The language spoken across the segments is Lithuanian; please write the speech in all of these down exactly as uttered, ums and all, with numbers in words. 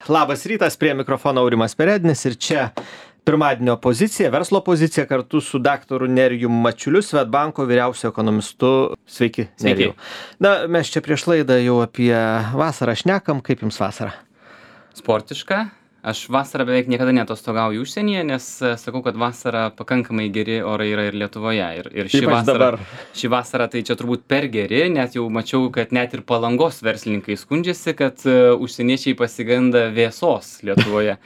Labas rytas, prie mikrofono Aurimas Perednis ir čia pirmadienio pozicija, verslo pozicija kartu su daktaru Nerijum Mačiuliu, Swedbanko vyriausiu ekonomistu. Sveiki, Nerijau. Na, mes čia prieš laidą jau apie vasarą šnekam. Kaip jums vasara? Sportiška. Aš vasarą beveik niekada neatostogauju užsienyje, nes sakau, kad vasarą pakankamai geri orai yra ir Lietuvoje. Ir, ir ši, vasara, ši vasara tai čia turbūt per geri, net jau mačiau, kad net ir Palangos verslininkai skundžiasi, kad uh, užsieniečiai pasigenda vėsos Lietuvoje.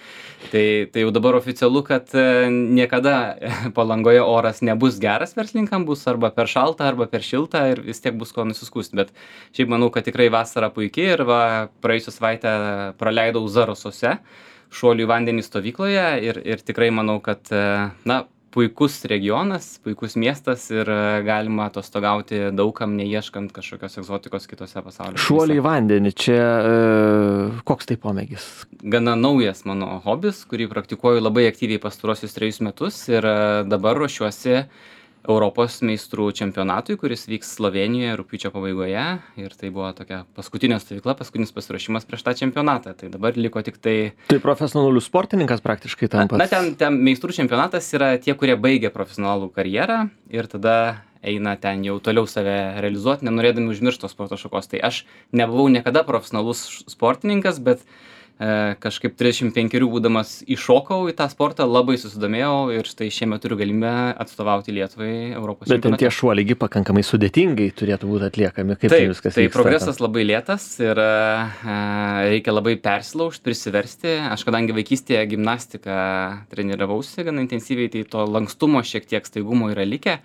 tai, tai jau dabar oficialu, kad uh, niekada Palangoje oras nebus geras verslininkam, bus arba per šalta, arba per šilta ir vis tiek bus ko nusiskūsti. Bet šiaip manau, kad tikrai vasara puikiai ir va, praėjusią savaitę praleidau Zarasuose, šuolių į vandenį stovykloje ir, ir tikrai manau, kad na, puikus regionas, puikus miestas ir galima atostogauti daugam, neieškant kažkokios egzotikos kitose pasaulio. Šuolių į vandenį, čia e, koks tai pomėgis? Gana naujas mano hobis, kurį praktikuoju labai aktyviai pastarosius trejus metus ir dabar ruošiuosi Europos meistrų čempionatui, kuris vyks Slovėnijoje rugpjūčio pabaigoje ir tai buvo tokia paskutinė stovykla, paskutinis pasiruošimas prieš tą čempionatą. Tai dabar liko tik tai... Tai profesionalus sportininkas praktiškai tampa. Na, ten, ten meistrų čempionatas yra tie, kurie baigia profesionalų karjerą ir tada eina ten jau toliau save realizuoti, nenorėdami užmiršti tos sporto šakos. Tai aš nebuvau niekada profesionalus sportininkas, bet kažkaip trisdešimt penkerių būdamas iššokau į tą sportą, labai susidomėjau ir štai šiemet turiu galimybę atstovauti Lietuvai Europos čempionate. Bet ten tie šuoliai pakankamai sudėtingai turėtų būti atliekami, kaip taip, tai viskas tai vyksta. Progresas labai lėtas ir uh, reikia labai persilaužti, prisiversti. Aš kadangi vaikystėje gimnastiką treniravausi gana intensyviai, tai to lankstumo šiek tiek staigumo yra likę,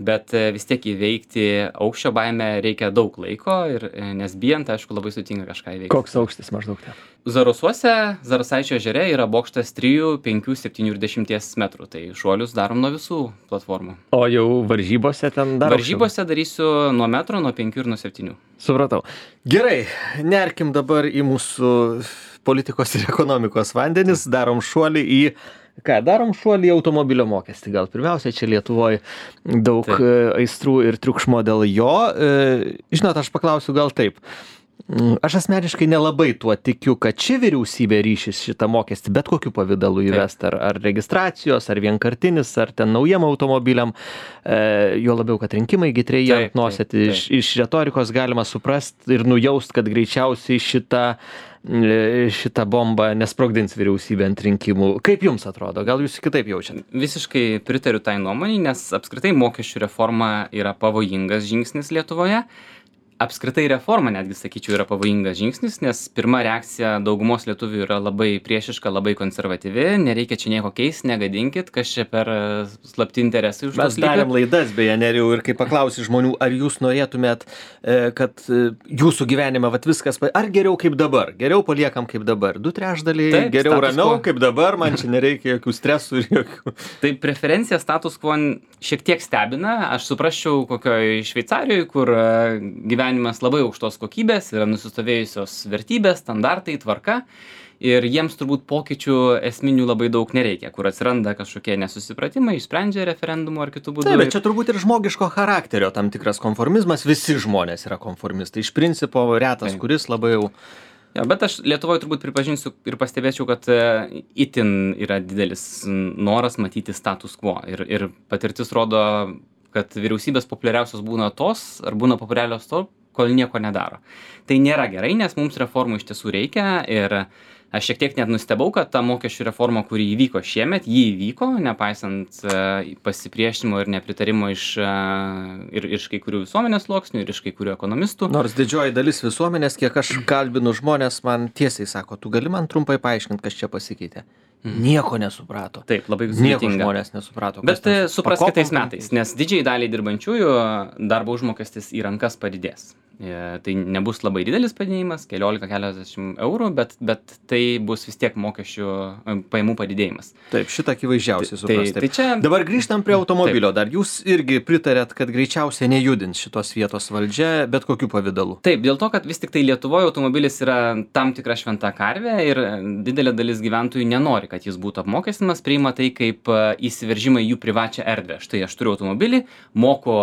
bet uh, vis tiek įveikti aukščio baimę reikia daug laiko, ir, nes bijant, aišku, labai sudėtinga kažką įveikti. Koks aukštis maždaug ten? Zarasuose, Zarasaičio ežere yra bokštas trijų, penkių, septynių ir dešimties metrų. Tai šuolius darom nuo visų platformų. O jau varžybose ten dar? Varžybose darysiu nuo metro, nuo penkių ir nuo septynių. Supratau. Gerai, nerkim dabar į mūsų politikos ir ekonomikos vandenis. Darom šuolį į... Ką, darom šuolį į automobilio mokestį. Gal pirmiausia, čia Lietuvoje daug taip. aistrų ir triukšmo dėl jo. Žinot, aš paklausiu gal taip. Aš asmeniškai nelabai tuo tikiu, kad ši vyriausybė ryšis šitą mokestį bet kokiu pavidalu įvest, ar, ar registracijos, ar vienkartinis, ar ten naujiem automobiliam, e, jo labiau, kad rinkimai gitreji ant nosėt. Iš, iš retorikos galima suprast ir nujaust, kad greičiausiai šitą, šitą bombą nesprogdins vyriausybė ant rinkimų. Kaip jums atrodo? Gal jūs kitaip jaučiat? Visiškai pritariu tai nuomonei, nes apskritai mokesčių reforma yra pavojingas žingsnis Lietuvoje. Apskritai reforma, netgi sakyčiau, yra pavojingas žingsnis, nes pirma reakcija daugumos lietuvių yra labai priešiška, labai konservatyvi, nereikia čia nieko keisti, negadinkit, kas čia per slapti interesai už Mes darėm laidas, beje, Nerijau, ir kai paklausi žmonių, ar jūs norėtumėt, kad jūsų gyvenime vat viskas, ar geriau kaip dabar, geriau paliekam kaip dabar, du trečdaliai, taip, geriau ramiau quo. Kaip dabar, man čia nereikia jokių stresų ir jokių. Tai preferencija status quo šiek tiek stebina, aš suprasčiau kokioje Šveicarijoje, kur gyvenimas labai aukštos kokybės, yra nusistovėjusios vertybės, standartai, tvarka ir jiems turbūt pokyčių esminių labai daug nereikia, kur atsiranda kažkokie nesusipratimai, išsprendžia referendumu ar kitų būdų. Taip, bet čia turbūt ir žmogiško charakterio tam tikras konformizmas, visi žmonės yra konformistai, iš principo retas, taip. Kuris labai jau... Ja, bet aš Lietuvoje turbūt pripažinsiu ir pastebėčiau, kad itin yra didelis noras matyti status quo ir, ir patirtis rodo, kad vyriausybės populiariausios būna tos, ar būna populiarios to, kol nieko nedaro. Tai nėra gerai, nes mums reformų iš tiesų reikia ir aš šiek tiek net nustebau, kad ta mokesčių reforma, kuri įvyko šiemet, jį įvyko, nepaisant uh, pasipriešinimo ir nepritarimo iš, uh, ir iš kai kurių visuomenės sluoksnių, ir iš kai kurių ekonomistų. Nors didžioji dalis visuomenės, kiek aš kalbinu žmonės, man tiesiai sako, tu gali man trumpai paaiškinti, kas čia pasikeitė. Nieko nesuprato. Taip, labai sudėtinga. Nieko žmonės nesuprato. Bet supras kitais metais, nes didžiai daliai dirbančiųjų darbo užmokestis į rankas padidės. Tai nebus labai didelis padidėjimas, keliolika keliasdešimt eurų, bet, bet tai bus vis tiek mokesčių pajamų padidėjimas. Taip, šitą akivaizdžiausiai supras. Tai, tai čia... Dabar grįžtam prie automobilio. Taip. Dar jūs irgi pritarėt, kad greičiausiai nejudins šitos vietos valdžia bet kokiu pavidalu. Taip, dėl to, kad vis tik tai Lietuvoje automobilis yra tam tikra šventa karvė ir didelė dalis gyventojų nenori, kad jis būtų apmokestinamas, priima tai kaip įsiveržimą į jų privačią erdvę. Štai aš turiu automobilį, moku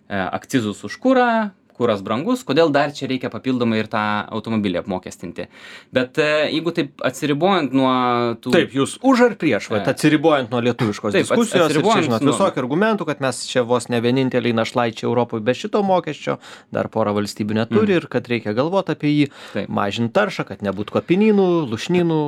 akcizus už kurą, kuras brangus, kodėl dar čia reikia papildomai ir tą automobilį apmokestinti. Bet jeigu taip atsiribojant nuo tų... Taip, jūs už ar prieš, vat, atsiribojant nuo lietuviškos taip, diskusijos ir čia, žinot, visokių nuo... argumentų, kad mes čia vos ne vieninteliai našlaičiai Europoje be šito mokesčio, dar porą valstybių neturi mm. ir kad reikia galvoti apie jį, taip. Mažinti taršą, kad nebūtų kapinynų, lušnynų.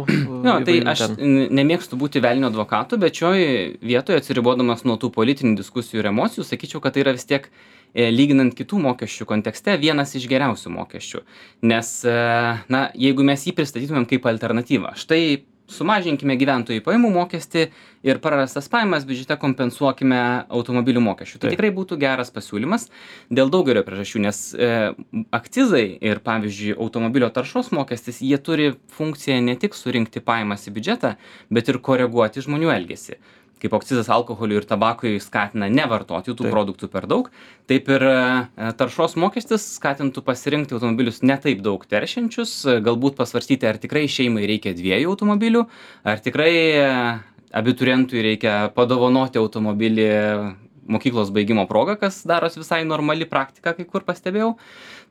No, tai aš ten. Nemėgstu būti velnio advokatu, bet šioje vietoje atsiribodamas nuo tų politinių diskusijų ir emocijų, sakyčiau, kad tai yra vis tiek lyginant kitų mokesčių kontekste vienas iš geriausių mokesčių. Nes, na, jeigu mes jį pristatytumėm kaip alternatyvą, štai sumažinkime gyventojų pajamų mokestį ir prarastas pajamas biudžete kompensuokime automobilių mokesčių. Tai tikrai būtų geras pasiūlymas dėl daugelio priežasčių, nes e, akcizai ir, pavyzdžiui, automobilio taršos mokestis, jie turi funkciją ne tik surinkti pajamas į biudžetą, bet ir koreguoti žmonių elgesį. Kaip akcizas alkoholiui ir tabakui skatina nevartoti tų taip. Produktų per daug, taip ir taršos mokestis skatintų pasirinkti automobilius ne taip daug teršiančius, galbūt pasvarstyti, ar tikrai šeimai reikia dviejų automobilių, ar tikrai abiturientui reikia padovanoti automobilį mokyklos baigimo proga, kas daros visai normali praktika, kai kur pastebėjau,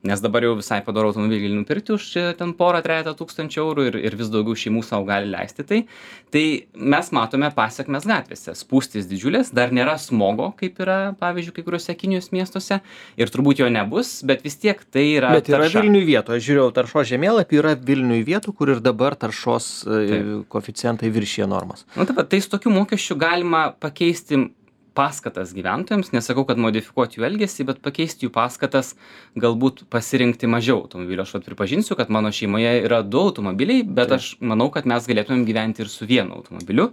nes dabar jau visai padaro automobilį gali nupirkti už ten porą trejata tūkstančių eurų ir, ir vis daugiau šeimų savo gali leisti tai. Tai mes matome pasekmes gatvėse. Spūstys didžiulės, dar nėra smogo, kaip yra, pavyzdžiui, kai kuriuose Kinijos miestuose ir turbūt jo nebus, bet vis tiek tai yra bet yra tarša. Vilniui vietų, aš žiūrėjau taršos žemėlapį, yra Vilniui vietų, kur ir dabar taršos taip. Koeficientai viršija normas. Na taip, tai su tokiu mokesčiu galima pakeisti paskatas gyventojams, nesakau, kad modifikuoti jų elgesį, bet pakeisti jų paskatas, galbūt pasirinkti mažiau automobilių. Aš pripažinsiu, kad mano šeimoje yra du automobiliai, bet taip. Aš manau, kad mes galėtumėm gyventi ir su vienu automobiliu.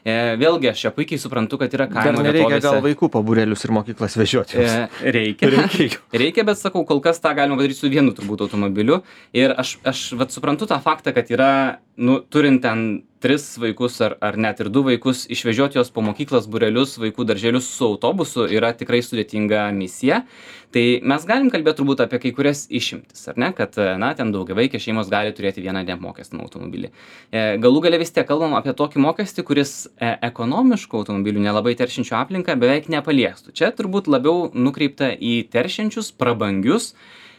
E, vėlgi, aš čia puikiai suprantu, kad yra kaimo vietovėse. Dar nereikia gal vaikų po būrelius ir mokyklas vežioti. E, reikia. reikia. reikia, bet sakau, kol kas tą galima padaryti su vienu turbūt automobiliu. Ir aš, aš vat, suprantu tą faktą, kad yra, nu, turint ten tris vaikus ar, ar net ir du vaikus, išvežioti juos po mokyklas, būrelius, vaikų darželius su autobusu yra tikrai sudėtinga misija. Tai mes galim kalbėti turbūt apie kai kurias išimtis, ar ne, kad, na, ten daugiavaikės šeimos gali turėti vieną neapmokestinamą automobilį. E, galų gale vis tiek kalbam apie tokį mokestį, kuris e, ekonomiškų automobilių, nelabai teršiančių aplinką, beveik nepaliestų. Čia turbūt labiau nukreipta į teršiančius, prabangius,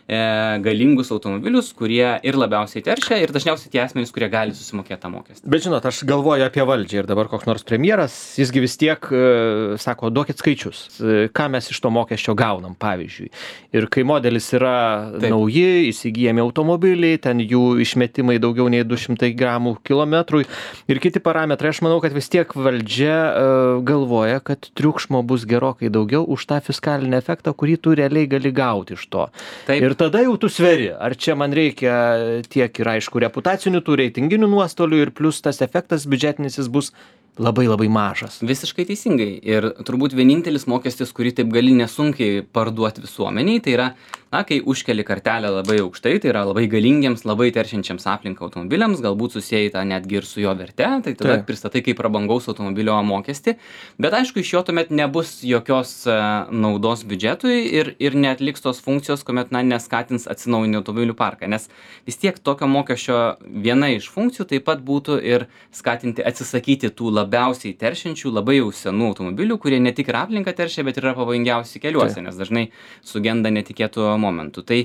galingus automobilius, kurie ir labiausiai teršia ir dažniausiai tie asmenys, kurie gali susimokėti tą mokestį. Bet žinot, aš galvoju apie valdžią ir dabar koks nors premjeras, jisgi vis tiek uh, sako, duokit skaičius, uh, ką mes iš to mokesčio gaunam, pavyzdžiui. Ir kai modelis yra taip. Nauji, įsigijami automobiliai, ten jų išmetimai daugiau nei du šimtai gramų kilometrui ir kiti parametrai, aš manau, kad vis tiek valdžia uh, galvoja, kad triukšmo bus gerokai daugiau už tą fiskalinį efektą, kurį tu realiai gali gauti iš to. Taip. Ir tada jau tu sveri, ar čia man reikia tiek ir aišku reputacinių, tų reitinginių nuostolių ir plus tas efektas biudžetinis jis bus labai labai mažas. Visiškai teisingai. Ir turbūt vienintelis mokestis, kurį taip gali nesunkiai parduoti visuomeniai, tai yra, na, kai užkeli kartelę labai aukštai, tai yra labai galingiems, labai teršiančiams aplinką automobiliams, galbūt susijai tą netgi ir su jo verte, tai tada taip. Pristatai kaip prabangaus automobilio mokestį. Bet aišku, iš jo tuomet nebus jokios uh, naudos biudžetui ir, ir neatliks tos funkcijos, kuomet, na, neskatins atsinaujinti automobilių parką. Nes vis tiek tokio mokesčio viena iš funkcijų taip pat būtų ir skatinti atsisakyti tų labiausiai teršiančių, labai jau senų automobilių, kurie ne tik ir aplinką teršia, bet ir yra pavojingiausi keliuose, nes dažnai sugenda netikėtų momentų. Tai,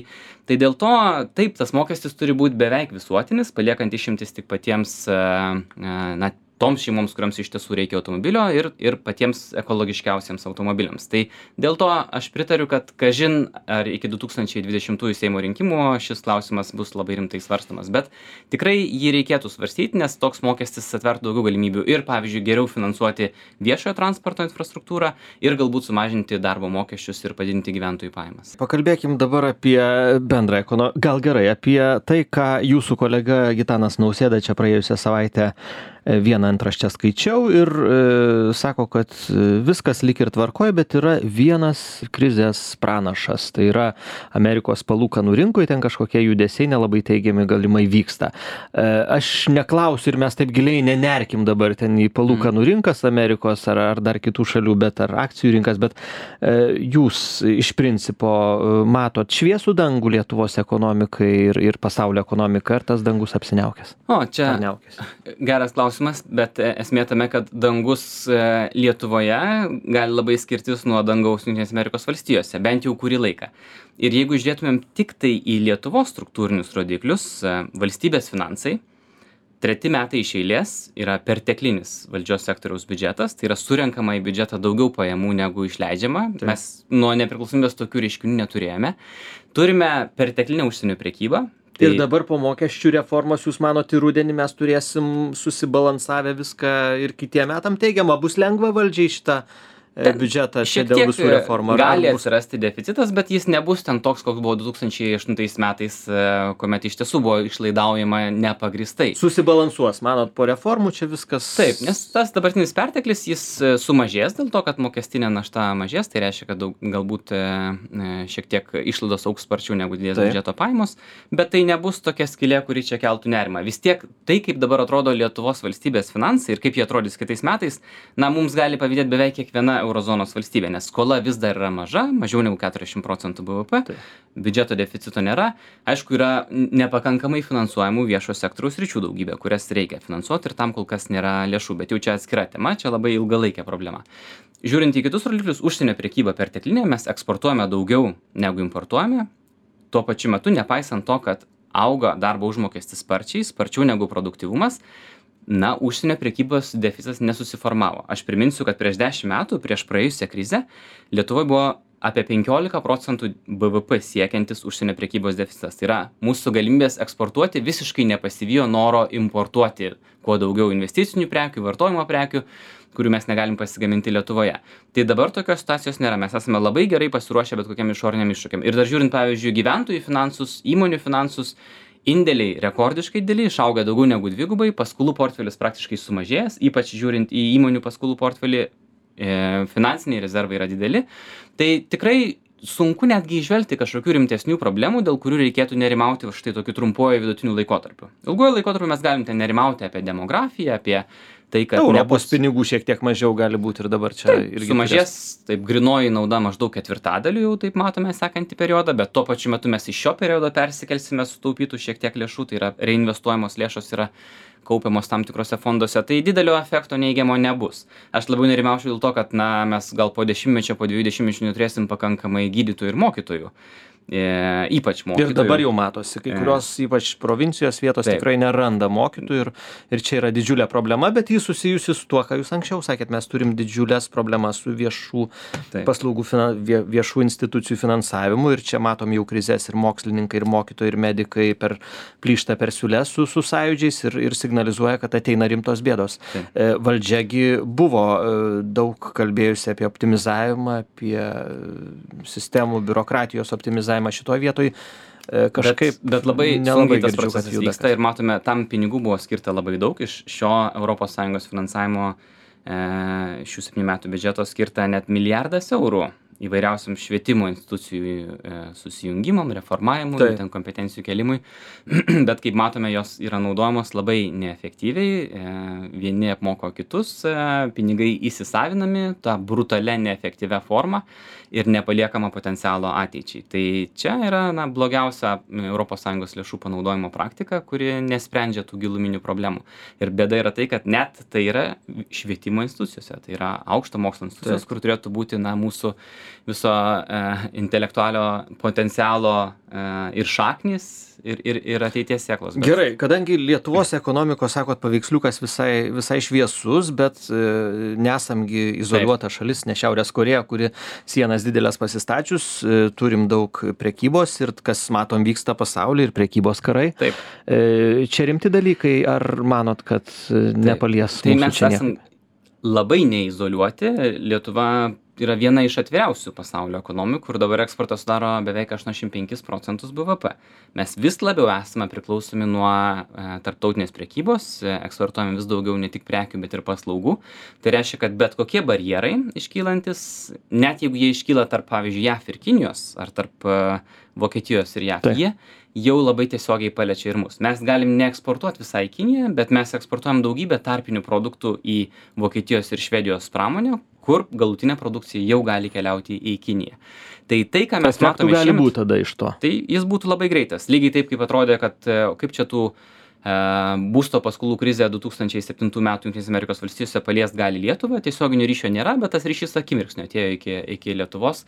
tai dėl to, taip, tas mokestis turi būti beveik visuotinis, paliekant išimtis tik patiems, na, toms šeimoms, kuriams iš tiesų reikia automobilio ir, ir patiems ekologiškiausiems automobiliams. Tai dėl to aš pritariu, kad kažin ar iki du tūkstančiai dvidešimtųjų Seimo rinkimų šis klausimas bus labai rimtai svarstomas, bet tikrai jį reikėtų svarstyti, nes toks mokestis atvertų daugiau galimybių ir, pavyzdžiui, geriau finansuoti viešojo transporto infrastruktūrą ir galbūt sumažinti darbo mokesčius ir padidinti gyventojų pajamas. Pakalbėkim dabar apie bendrą ekonomiką, gal gerai, apie tai, ką jūsų kolega Gitanas Nausėda čia praėjusią savaitę vieną antraštę skaičiau ir e, sako, kad viskas lyg ir tvarkoja, bet yra vienas krizės pranašas. Tai yra Amerikos palūkanų rinkoje, ten kažkokie judesiai nelabai teigiami galimai vyksta. E, aš neklausiu ir mes taip giliai nenerkim dabar ten į palūkanų rinkas Amerikos ar, ar dar kitų šalių, bet ar akcijų rinkas, bet e, jūs iš principo matot šviesų dangų Lietuvos ekonomikai ir, ir pasaulio ekonomikai, ar tas dangus apsiniaukęs? O, čia geras klausimas. bet esmė tame, kad dangus Lietuvoje gali labai skirtis nuo dangaus Jungtinėse Amerikos valstijose, bent jau kurį laiką. Ir jeigu žiūrėtumėm tik tai į Lietuvos struktūrinius rodiklius, valstybės finansai, treti metai iš eilės yra perteklinis valdžios sektoriaus biudžetas, tai yra surenkama į biudžetą daugiau pajamų negu išleidžiama. Taip. Mes nuo nepriklausomybės tokių reiškinių neturėjome. Turime perteklinę užsienio prekybą. Tai... Ir dabar po mokesčių reformos, jūs manote, rudenį mes turėsim susibalansavę viską ir kitiem metam teigiamą, bus lengva valdžiai šitą biudžetą čia dėl visų reformų. Gali atsirasti deficitas, bet jis nebus ten toks, koks buvo du tūkstančiai aštuntais metais, kuomet iš tiesų buvo išlaidaujama nepagristai. Susibalansuos, manot, po reformų čia viskas... Taip, nes tas dabartinis perteklis, jis sumažės dėl to, kad mokestinė našta mažės, tai reiškia, kad daug, galbūt šiek tiek išlaidos augs sparčiau negu didės biudžeto pajamos, bet tai nebus tokia skylė, kuri čia keltų nerimą. Vis tiek tai, kaip dabar atrodo Lietuvos valstybės finansai ir kaip jie atrodys kitais metais, na, mums gali pavydėti beveik kiekviena eurozonos valstybė, nes skola vis dar yra maža, mažiau negu keturiasdešimt procentų B V P, tai. Biudžeto deficito nėra, aišku, yra nepakankamai finansuojamų viešo sektoriaus sričių daugybė, kurias reikia finansuoti ir tam kol kas nėra lėšų, bet jau čia atskira tema, čia labai ilgalaikė problema. Žiūrint į kitus rodiklius, užsienio prekyba perteklinė, mes eksportuojame daugiau negu importuojame, tuo pačiu metu, nepaisant to, kad auga darbo užmokestis sparčiai, sparčiau negu produktyvumas, na, užsienio prekybos deficitas nesusiformavo. Aš priminsiu, kad prieš dešimt metų, prieš praėjusią krizę, Lietuvoje buvo apie penkiolika procentų B V P siekiantis užsienio prekybos deficitas. Tai yra, mūsų galimybės eksportuoti visiškai nepasivijo noro importuoti kuo daugiau investicinių prekių, vartojimo prekių, kurių mes negalim pasigaminti Lietuvoje. Tai dabar tokios situacijos nėra. Mes esame labai gerai pasiruošę bet kokiam išoriniam iššūkiam. Ir dar žiūrint, pavyzdžiui, gyventojų finansus, įmonių finansus, indėliai rekordiškai dideli, išauga daugiau negu dvigubai, paskolų portfelis praktiškai sumažėjęs, ypač žiūrint į įmonių paskolų portfelį, e, finansiniai rezervai yra dideli. Tai tikrai sunku netgi įžvelgti kažkokių rimtesnių problemų, dėl kurių reikėtų nerimauti štai tokiu trumpuoju vidutiniu laikotarpiu. Ilguoju laikotarpiu mes galim ten nerimauti apie demografiją, apie tai, kad Europos nebus... pinigų šiek tiek mažiau gali būti ir dabar čia taip, irgi sumažės, turės... taip, grinoji nauda maždaug ketvirtadaliu, jau taip matome sekantį periodą, bet tuo pačiu metu mes iš šio periodo persikelsime sutaupytų šiek tiek lėšų, tai yra reinvestuojamos lėšos yra kaupiamos tam tikrose fonduose, tai didelio efekto neigiamo nebus. Aš labiau nerimaučiau dėl to, kad na, mes gal po dešimtmečio, po dviejų dešimtmečių neturėsim pakankamai gydytojų ir mokytojų. E, ypač mokytojų. Ir dabar jau matosi, kai kurios e, ypač provincijos vietos taip. Tikrai neranda mokytojų ir, ir čia yra didžiulė problema, bet jis susijusi su tuo, ką jūs anksčiau sakėt, mes turim didžiulės problemas su viešų taip. Paslaugų, vie, viešų institucijų finansavimu ir čia matom jau krizės ir mokslininkai, ir mokytojai, ir medikai per plyštą per siūles su, su sąjūdžiais ir, ir signalizuoja, kad ateina rimtos bėdos. Taip. E, valdžiagi buvo e, daug kalbėjusi apie optimizavimą, apie sistemų biurokratijos optimizavimą šitoje vietoje kažkaip bet, bet labai sunkiai tas procesas vyksta ir matome, tam pinigų buvo skirta labai daug iš šio Europos Sąjungos finansavimo e, šių septynių metų biudžeto skirta net milijardas eurų įvairiausiam švietimo institucijų e, susijungimam, reformavimui, tai. Ten kompetencijų kelimui, bet kaip matome, jos yra naudojamos labai neefektyviai, e, vieni apmoko kitus, e, pinigai įsisavinami tą brutalią neefektyvę formą ir nepaliekama potencialo ateičiai. Tai čia yra na, blogiausia Europos Sąjungos lėšų panaudojimo praktika, kuri nesprendžia tų giluminių problemų. Ir bėda yra tai, kad net tai yra švietimo institucijose, tai yra aukšto mokslo institucijos, tai. Kur turėtų būti na, mūsų viso e, intelektualio potencialo e, ir šaknis ir, ir, ir ateities sėklos. Bet... Gerai, kadangi Lietuvos ekonomikos, sakot, paveiksliukas visai, visai šviesus, bet e, nesamgi izoliuota Taip. Šalis, ne Šiaurės Korėja, kuri sienas didelės pasistačius, e, turim daug prekybos ir kas matom vyksta pasaulyje ir prekybos karai. Taip. E, čia rimti dalykai, ar manot, kad nepalies tai mūsų mes čia esam labai neizoliuoti. Lietuva yra viena iš atviriausių pasaulio ekonomikų, kur dabar eksportas sudaro beveik aštuoniasdešimt penkis procentus B V P. Mes vis labiau esame priklausomi nuo e, tarptautinės prekybos, e, eksportuojame vis daugiau ne tik prekių, bet ir paslaugų. Tai reiškia, kad bet kokie barjerai iškylantis, net jeigu jie iškyla tarp, pavyzdžiui, J A V ir Kinijos, ar tarp e, Vokietijos ir J A V, tai. Jie jau labai tiesiogiai paliečia ir mus. Mes galim neeksportuoti visai Kiniją, bet mes eksportuojam daugybę tarpinių produktų į Vokietijos ir Švedijos pramonę, kur galutinė produkcija jau gali keliauti į Kiniją. Tai tai, ką mes matome gali būti tada iš to. Tai jis būtų labai greitas. Lygiai taip, kaip atrodė, kad kaip čia tų būsto paskolų krizė du tūkstančiai septintų metų Jungtinėse Amerikos valstijose paliest gali Lietuvą, tiesioginio ryšio nėra, bet tas ryšys akimirksniu atėjo iki, iki Lietuvos.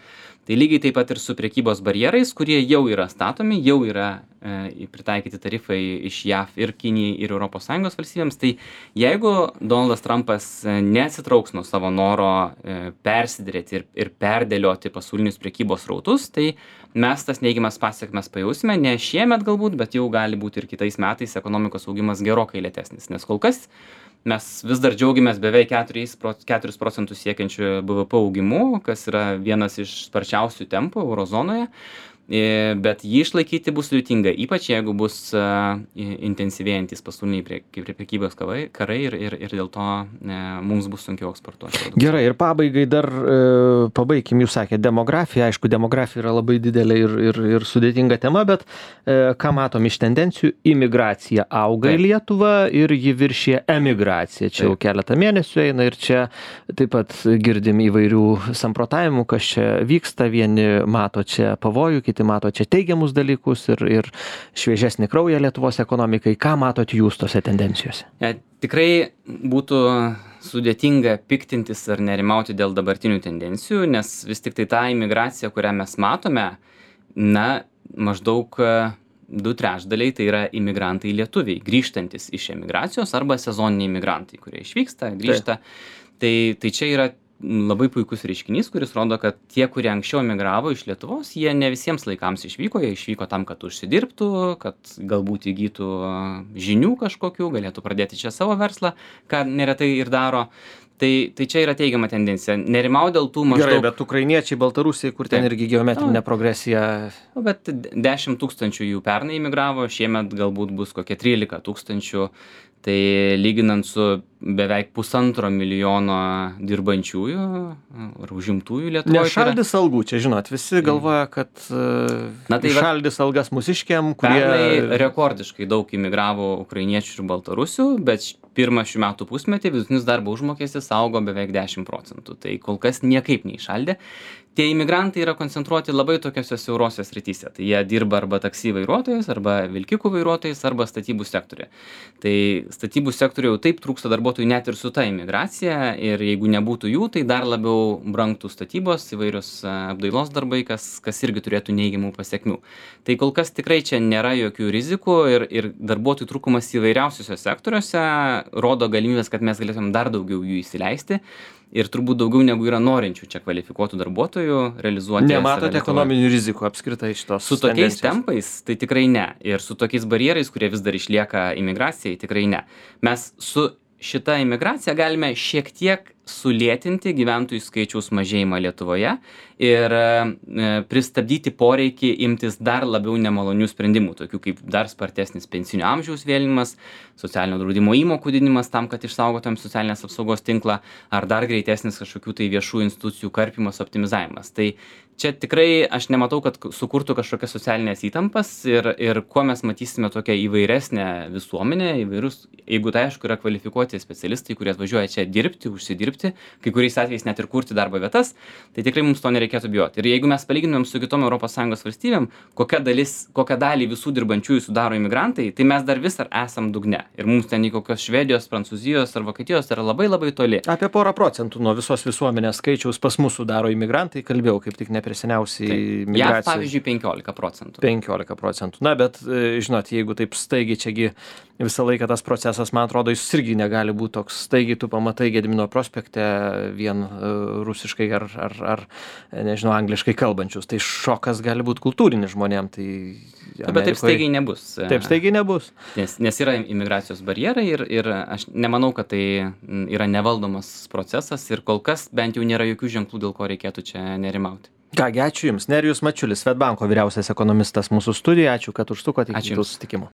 Tai lygiai taip pat ir su prekybos barjerais, kurie jau yra statomi, jau yra e, pritaikyti tarifai iš J A V ir Kinijai ir Europos Sąjungos valstybėms. Tai jeigu Donaldas Trumpas neatsitrauks nuo savo noro e, persiderėti ir, ir perdėlioti pasaulinius prekybos rautus, tai mes tas neigiamas pasiekmes pajausime, ne šiemet galbūt, bet jau gali būti ir kitais metais ekonomikos augimas gerokai lėtesnis. Nes kol kas mes vis dar džiaugiamės beveik keturis procentus siekiančių B V P augimu, kas yra vienas iš sparčiausių tempų euro zonoje. Bet jį išlaikyti bus sudėtinga, ypač jeigu bus uh, intensyvėjantis pasauliniai prie, prie prekybos karai, karai ir, ir, ir dėl to uh, mums bus sunkiau eksportuoti. Gerai, ir pabaigai dar uh, pabaikim, jūs sakėte, demografija, aišku, demografija yra labai didelė ir, ir, ir sudėtinga tema, bet uh, ką matom iš tendencijų, imigracija auga taip. Į Lietuvą ir ji viršė emigraciją. Čia taip. Jau keletą mėnesių eina ir čia taip pat girdim įvairių samprotavimų, kas čia vyksta, vieni mato čia pavojų, kiti mato čia teigiamus dalykus ir, ir šviežesnį kraują Lietuvos ekonomikai. Ką matot jūs tose tendencijose? Ja, tikrai būtų sudėtinga piktintis ar nerimauti dėl dabartinių tendencijų, nes vis tik tai ta imigracija, kurią mes matome, na, maždaug du trečdaliai tai yra imigrantai lietuviai, grįžtantis iš emigracijos arba sezoniniai imigrantai, kurie išvyksta, grįžta. Tai, tai čia yra labai puikus reiškinys, kuris rodo, kad tie, kurie anksčiau emigravo iš Lietuvos, jie ne visiems laikams išvyko, jie išvyko tam, kad užsidirbtų, kad galbūt įgytų žinių kažkokių, galėtų pradėti čia savo verslą, ką neretai ir daro. Tai, tai čia yra teigiama tendencija. Nerimau dėl tų maždaug... Gerai, bet ukrainiečiai, baltarusiai, kur ten irgi geometrinė progresija... O, bet dešimt tūkstančių jų pernai imigravo, šiemet galbūt bus kokie trylika tūkstančių. Tai lyginant su beveik pusantro milijono dirbančiųjų ar užimtųjų Lietuvoje. Nešaldys algų, čia žinot, visi galvoja, kad Na, tai šaldys algas mūsiškiam, kurie... Pernai rekordiškai daug imigravo ukrainiečių ir baltarusių, bet pirmą šių metų pusmetį vidutinis darbo užmokestis augo beveik dešimt procentų. Tai kol kas niekaip neišaldė. Tie imigrantai yra koncentruoti labai tokiose siaurose srityse. Tai jie dirba arba taksi vairuotojais, arba vilkikų vairuotojais, arba statybų sektoriuje. Tai statybų sektoriuje jau taip trūksta darbuotojų net ir su ta imigracija. Ir jeigu nebūtų jų, tai dar labiau brangtų statybos, įvairios apdailos darbai, kas, kas irgi turėtų neigiamų pasekmių. Tai kol kas tikrai čia nėra jokių rizikų ir, ir darbuotojų trūkumas įvairiausiuose sektoriuose rodo galimybės, kad mes galėtum dar daugiau jų įsileisti. Ir turbūt daugiau negu yra norinčių čia kvalifikuotų darbuotojų realizuoti. Nematote ekonominių rizikų apskritai šitos Su tokiais tempais tai tikrai ne. Ir su tokiais barjerais, kurie vis dar išlieka imigracijai, tikrai ne. Mes su šita imigracija galime šiek tiek sulėtinti gyventojų skaičiaus mažėjimą Lietuvoje ir e, pristabdyti poreikį imtis dar labiau nemalonių sprendimų, tokių kaip dar spartesnis pensinio amžiaus vėlinimas, socialinio draudimo įmokų didinimas tam, kad išsaugotum socialinės apsaugos tinklą, ar dar greitesnis kažkokių tai viešų institucijų karpimas, optimizavimas. Tai čia tikrai aš nematau, kad sukurtų kažkokias socialinės įtampas ir, ir kuo mes matysime tokią įvairesnę visuomenę, įvairius, jeigu tai aišku yra kvalifikuoti specialistai, kurie atvažiuoja čia dirbti, užsidirbti, kai kuriais atvejais net ir kurti darbo vietas, tai tikrai mums to nereikėtų bijoti. Ir jeigu mes palygintumėm su kitom Europos Sąjungos valstybėm, kokia dalis, kokią dalį visų dirbančiųjų sudaro imigrantai, tai mes dar vis ar esam dugne. Ir mums ten į kokios Švedijos, Prancūzijos ar Vokietijos yra labai labai toli. Apie porą procentų nuo visos visuomenės skaičiaus pas mus sudaro imigrantai, kalbėjau kaip tik neperseniausiai migracijai. Ja, pavyzdžiui, penkiolika procentų. penkiolika procentų. Na, bet, žinot, jeigu taip staigiai čiagi visą laiką tas procesas, man atrodo, jis irgi negali būti toks staigiai, tu pamatai Gedimino prospekte vien uh, rusiškai ar, ar, ar, nežinau, angliškai kalbančius. Tai šokas gali būti kultūrinis žmonėm. Tai Amerikoje... Bet taip staigiai nebus. Taip staigiai nebus. Nes, nes yra imigracijos barjerai ir, ir aš nemanau, kad tai yra nevaldomas procesas ir kol kas bent jau nėra jokių ženklų, dėl ko reikėtų čia nerimauti. Kągi, ačiū Jums. Nerijus Mačiulis, Swedbanko vyriausias ekonomistas mūsų studijoje. Ačiū, kad užsukote iki kitų susitikimų.